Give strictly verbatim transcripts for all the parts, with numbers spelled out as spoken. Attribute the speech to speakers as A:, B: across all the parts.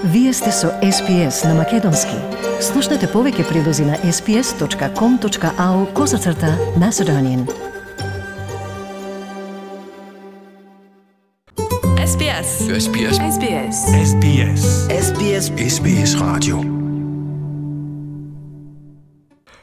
A: Вие сте со Ес Би Ес на Македонски. Слушнете повеќе прилози на ес би ес точка ком точка ау козацрта Macedonian.
B: Ес Би Ес.
C: Ес Би Ес.
B: Ес Би Ес.
C: Ес Би Ес.
D: Ес Би Ес.
C: Ес Би Ес радио.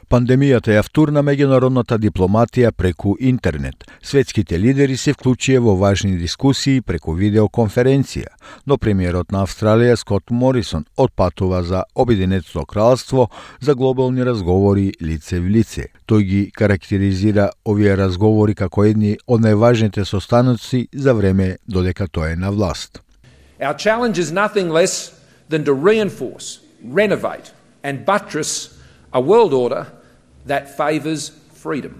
E: Пандемијата ја втурна меѓународната дипломатија преку интернет. Светските лидери се вклучија во важни дискусии преку видеоконференција, но премиерот на Австралија Скот Морисон отпатува за Обединетото кралство за глобални разговори лице в лице. Тој ги карактеризира овие разговори како едни од најважните состаноци за време додека тој е на власт.
F: Our challenge is nothing less than to reinforce, renovate and buttress a world order that favours freedom.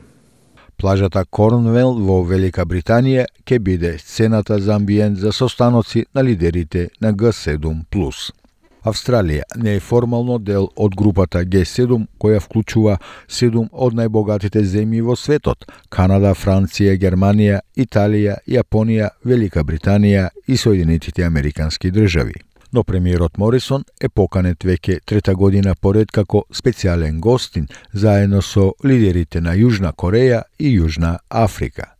E: Плажата Корнвел во Велика Британија ќе биде сцената за амбиент за состаноци на лидерите на Г седум плюс. Австралија не е формално дел од групата Г седум, која вклучува седум од најбогатите земји во светот: Канада, Франција, Германија, Италија, Јапонија, Велика Британија и Соединетите Американски држави. Но премиерот Морисон е поканет веќе трета година поред како специјален гостин заедно со лидерите на Јужна Кореја и Јужна Африка.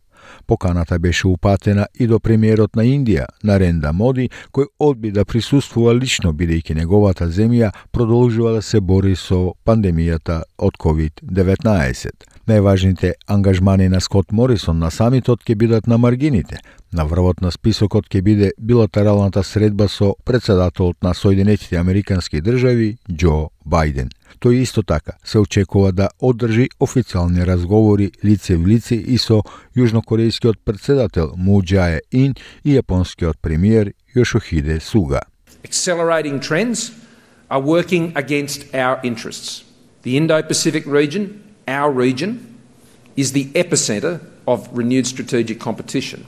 E: Поканата беше упатена и до премиерот на Индија, Наренда Моди, кој одби да присуствува лично бидејќи неговата земја продолжува да се бори со пандемијата од ковид деветнаесет. Најважните ангажмани на Скот Морисон на самитот ќе бидат на маргините. На врвот на списокот ќе биде билатералната средба со председателот на Соединетите Американски држави Џо Бајден. Тој исто така се очекува да одржи официјални разговори лице в лице и со јужнокорејскиот председател Му Џаe Ин и јапонскиот премиер Јошихиде Суга.
F: Accelerating trends are working against our interests. The Indo-Pacific region, our region, is the epicenter of renewed strategic competition.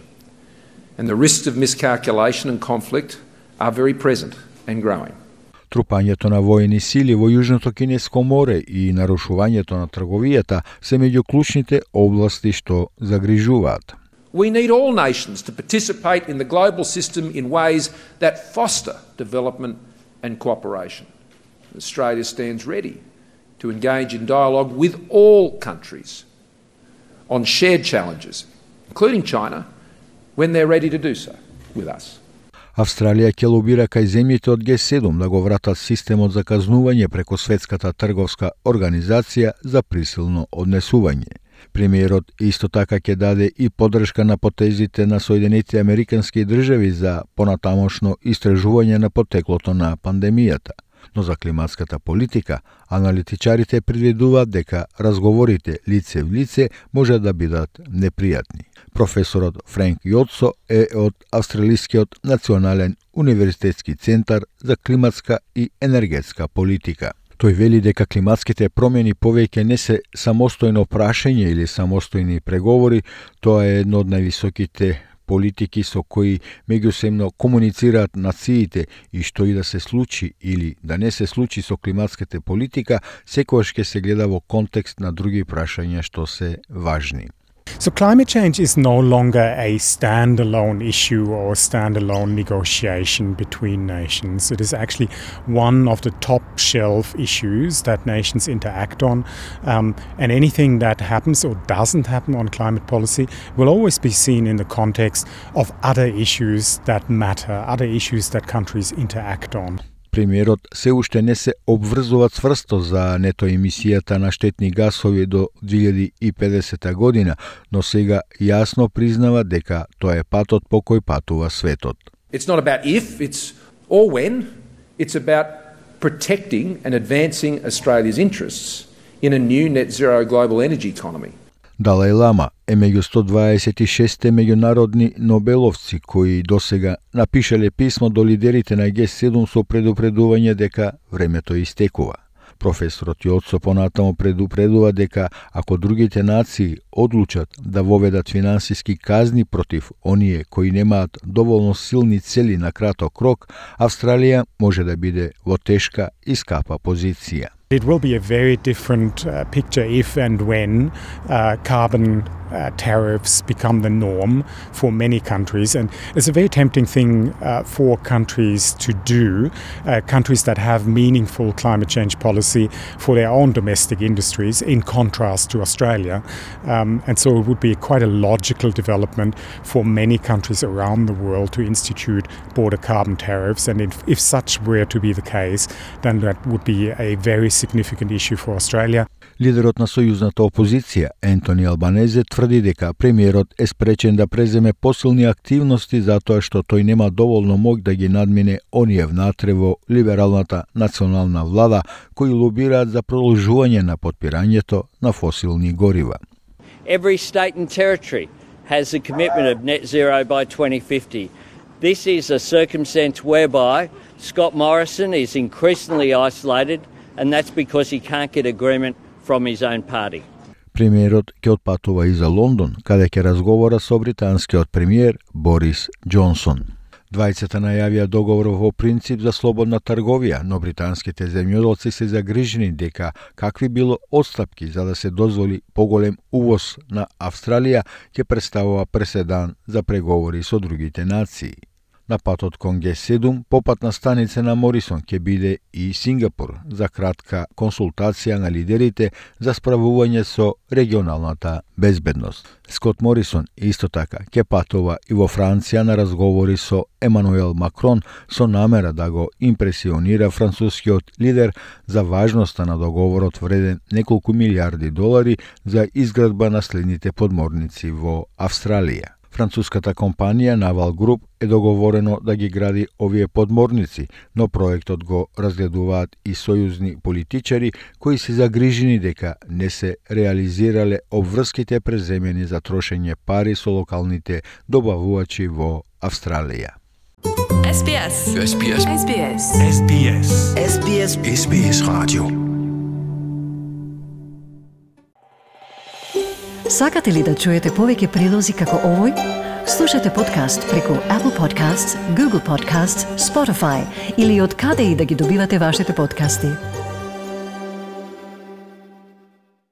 F: And the risks of miscalculation and conflict are very present and growing.
E: Трупањето на воени сили во Јужното Кинеско море и нарушувањето на трговијата се меѓу клучните области што загрижуваат.
F: We need all nations to participate in the global system in ways that foster development and cooperation. Australia stands ready to engage in dialogue with all countries on shared challenges, including China, when they're ready to do so with us.
E: Австралија ќе лобира кај земјите од Г седум да го вратат системот за казнување преку Светската трговска организација за присилно однесување. Премиерот исто така ќе даде и поддршка на потезите на Соединетите Американски држави за понатамошно истражување на потеклото на пандемијата. Но за климатската политика, аналитичарите предвидуваат дека разговорите лице в лице може да бидат непријатни. Професорот Френк Јоцо е од Австралискиот национален универзитетски центар за климатска и енергетска политика. Тој вели дека климатските промени повеќе не се самостојно прашање или самостојни преговори, тоа е едно од највисоките политики со кои меѓусебно комуницираат нациите и што и да се случи или да не се случи со климатската политика, секогаш ќе се гледа во контекст на други прашања што се важни.
G: So climate change is no longer a standalone issue or standalone negotiation between nations. It is actually one of the top shelf issues that nations interact on. Um, and anything that happens or doesn't happen on climate policy will always be seen in the context of other issues that matter, other issues that countries interact on.
E: Премиерот се уште не се обврзува цврсто за нето емисијата на штетни гасови до две илјади и педесета година, но сега јасно признава дека тоа е патот по кој патува светот.
F: It's not about if, it's or when. It's about protecting and advancing Australia's interests in a new net zero global energy economy.
E: Далај Лама е меѓу сто дваесет и шест меѓународни нобеловци кои досега напишале писмо до лидерите на Г седум со предупредување дека времето истекува. Професорот Јоцо понатаму предупредува дека ако другите нации одлучат да воведат финансиски казни против оние кои немаат доволно силни цели на краток рок, Австралија може да биде во тешка и скапа позиција.
G: It will be a very different uh, picture if and when uh, carbon uh, tariffs become the norm for many countries. And it's a very tempting thing uh, for countries to do, uh, countries that have meaningful climate change policy for their own domestic industries, in contrast to Australia. Um, and so it would be quite a logical development for many countries around the world to institute border carbon tariffs. And if, if such were to be the case, then that would be a very significant issue for Australia.
E: Лидерот на сојузната опозиција, Ентони Албанезе, тврди дека премиерот е спречен да преземе посилни активности затоа што тој нема доволно моќ да ги надмине оние внатре во либералната национална влада кои лобираат за продолжување на потпирањето на фосилни горива.
B: Every state and territory has a commitment of net zero by twenty fifty. This is a circumstance whereby Scott Morrison is increasingly isolated, and that's because he can't get agreement from his own party.
E: Премиерот ќе отпатува и за Лондон, каде ќе разговара со британскиот премиер Борис Џонсон. Двајцата најавија договор во принцип за слободна трговија, но британските земјоделци се загрижени дека какви било отстапки за да се дозволи поголем увоз на Австралија ќе представува преседан за преговори со другите нации. На патот кон Г седум, попатна станица на Морисон ќе биде и Сингапур за кратка консултација на лидерите за справување со регионалната безбедност. Скот Морисон исто така ќе патува и во Франција на разговори со Емануел Макрон со намера да го импресионира францускиот лидер за важноста на договорот вреден неколку милиарди долари за изградба на следните подморници во Австралија. Француската компанија Naval Group е договорено да ги гради овие подморници, но проектот го разгледуваат и сојузни политичари кои се загрижени дека не се реализирале обврските преземени за трошење пари со локалните добавувачи во Австралија.
D: S B S.
C: S B S.
D: S B S.
C: S B S.
D: S B S.
C: S B S Radio.
A: Сакате ли да чуете повеќе прилози како овој? Слушате подкаст преку Apple Podcasts, Google Podcasts, Spotify или од каде и да ги добивате вашите подкасти.